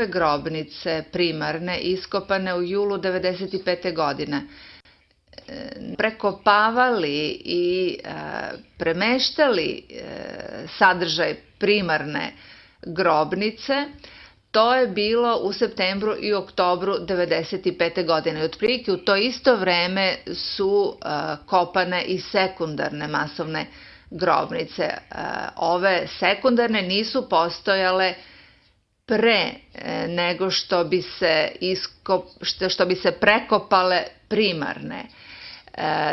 grobnice primarne iskopane u julu 1995. godine prekopavali i premeštali sadržaj primarne grobnice, to je bilo u septembru i oktobru 1995. godine. Otprilike u to isto vreme su kopane i sekundarne masovne grobnice. Ove sekundarne nisu postojale pre nego što bi se prekopale primarne.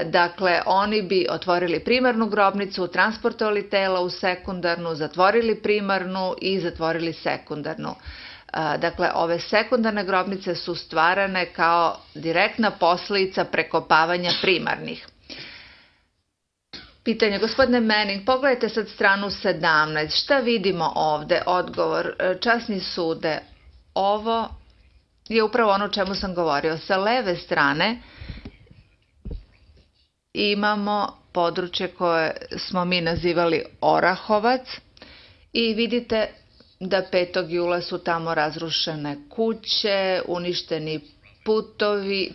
Dakle, oni bi otvorili primarnu grobnicu, transportovali tela u sekundarnu, zatvorili primarnu i zatvorili sekundarnu. Dakle, ove sekundarne grobnice su stvarane kao direktna posledica prekopavanja primarnih. Pitanje, gospodine Manning, pogledajte sad stranu 17. Šta vidimo ovde? Odgovor, časni sude, ovo je upravo ono o čemu sam govorio. Sa leve strane imamo područje koje smo mi nazivali Orahovac i vidite da 5. jula su tamo razrušene kuće, uništeni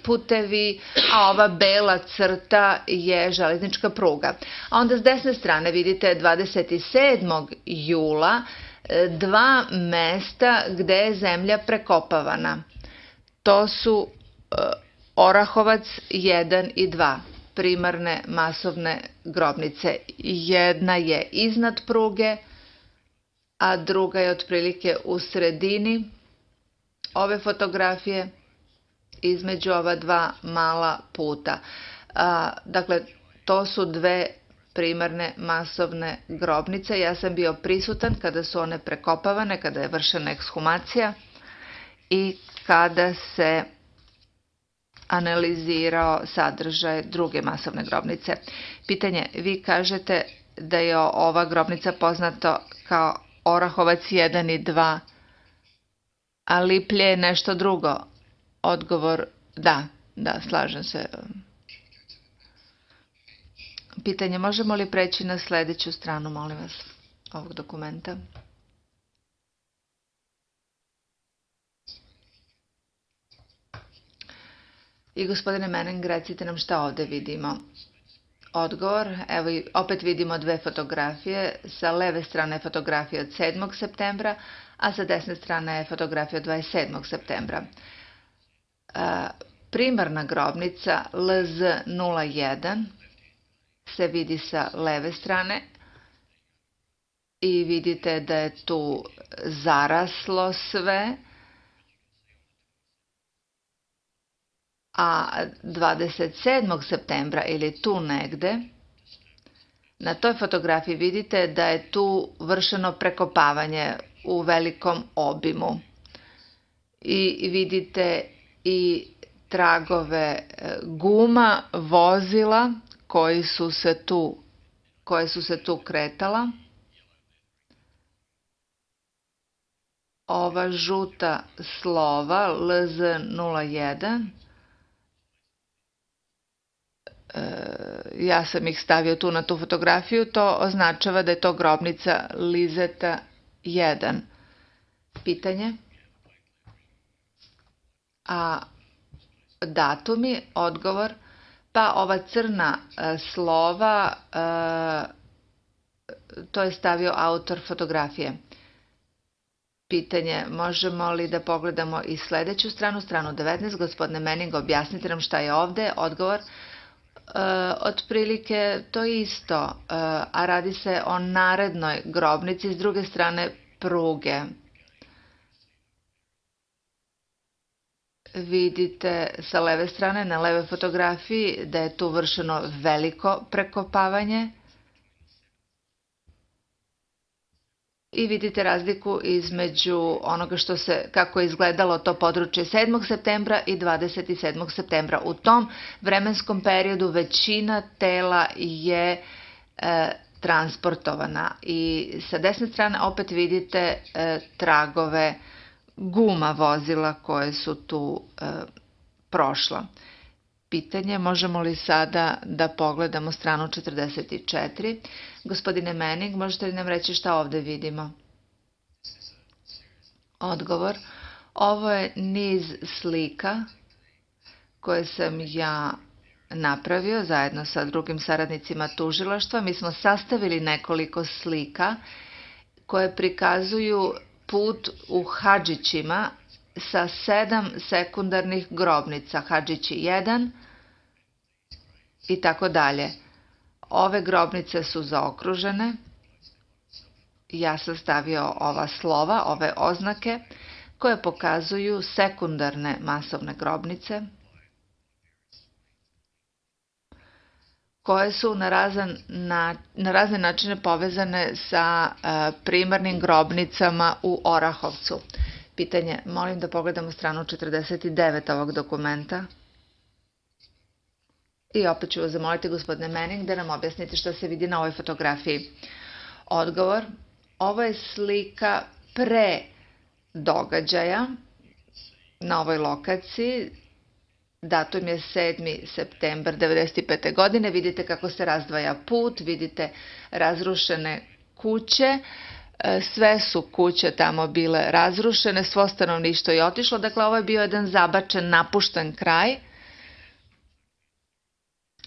putevi, a ova bela crta je železnička pruga. A onda s desne strane vidite 27. jula dva mesta gde je zemlja prekopavana. To su Orahovac 1 i 2, primarne masovne grobnice. Jedna je iznad pruge, a druga je otprilike u sredini ove fotografije između ova dva mala puta. Dakle, to su dve primarne masovne grobnice. Ja sam bio prisutan kada su one prekopavane, kada je vršena ekshumacija i kada se analizirao sadržaj druge masovne grobnice. Pitanje, vi kažete da je ova grobnica poznata kao Orahovac 1 i 2, a Liplje je nešto drugo. Odgovor, da, slažem se. Pitanje, možemo li preći na sledeću stranu, molim vas, ovog dokumenta? I gospodine Manning, recite nam šta ovde vidimo. Odgovor, evo opet vidimo dve fotografije. Sa leve strane je fotografija od 7. septembra, a sa desne strane je fotografija od 27. septembra. Primarna grobnica LZ01 se vidi sa leve strane i vidite da je tu zaraslo sve, a 27. septembra ili tu negde, na toj fotografiji vidite da je tu vršeno prekopavanje u velikom obimu i vidite i tragove guma vozila koje su se tu kretala. Ova žuta slova LZ01, ja sam ih stavio tu na tu fotografiju, to označava da je to grobnica Lizeta 1. Pitanje? A datumi, odgovor, pa ova crna slova, to je stavio autor fotografije. Pitanje, možemo li da pogledamo i sledeću stranu, stranu 19, gospodine Manning, objasnite nam šta je ovde, odgovor, otprilike to isto, a radi se o narednoj grobnici s druge strane pruge. Vidite sa leve strane, na leve fotografiji, da je tu vršeno veliko prekopavanje i vidite razliku između onoga kako je izgledalo to područje 7. septembra i 27. septembra. U tom vremenskom periodu većina tela je transportovana i sa desne strane opet vidite tragove guma vozila koje su tu prošla. Pitanje, možemo li sada da pogledamo stranu 44? Gospodine Manning, možete li nam reći šta ovde vidimo? Odgovor, Ovo je niz slika koje sam ja napravio zajedno sa drugim saradnicima tužilaštva. Mi smo sastavili nekoliko slika koje prikazuju put u Hadžićima sa 7 sekundarnih grobnica. Hadžići 1 i tako dalje. Ove grobnice su zaokružene. Ja sam stavio ova slova, ove oznake koje pokazuju sekundarne masovne grobnice koje su na razne načine povezane sa primarnim grobnicama u Orahovcu. Pitanje, molim da pogledamo stranu 49 ovog dokumenta. I opet ću vas zamoliti, gospodine Manning, da nam objasnite šta se vidi na ovoj fotografiji. Odgovor, ovo je slika pre događaja na ovoj lokaciji. Datum je 7. septembar 1995. godine. Vidite kako se razdvaja put, vidite razrušene kuće. Sve su kuće tamo bile razrušene, svo stanovništvo je otišlo. Dakle, ovo je bio jedan zabačen, napušten kraj.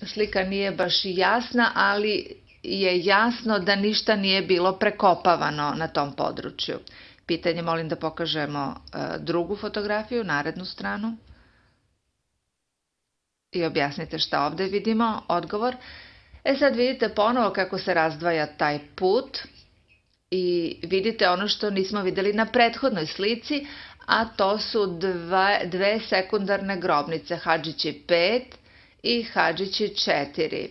Slika nije baš jasna, ali je jasno da ništa nije bilo prekopavano na tom području. Pitanje, molim da pokažemo drugu fotografiju, narednu stranu. I objasnite šta ovde vidimo. Odgovor. Sad vidite ponovo kako se razdvaja taj put i vidite ono što nismo videli na prethodnoj slici, a to su dve sekundarne grobnice, Hadžići 5 i Hadžići 4.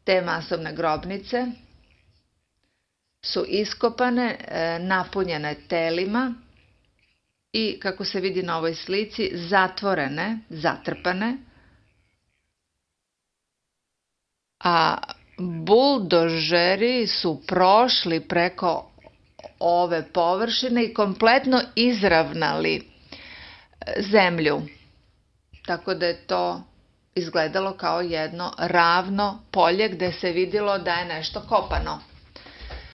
Te masovne grobnice su iskopane, napunjene telima i, kako se vidi na ovoj slici, zatvorene, zatrpane, a buldožeri su prošli preko ove površine i kompletno izravnali zemlju. Tako da je to izgledalo kao jedno ravno polje gde se vidjelo da je nešto kopano.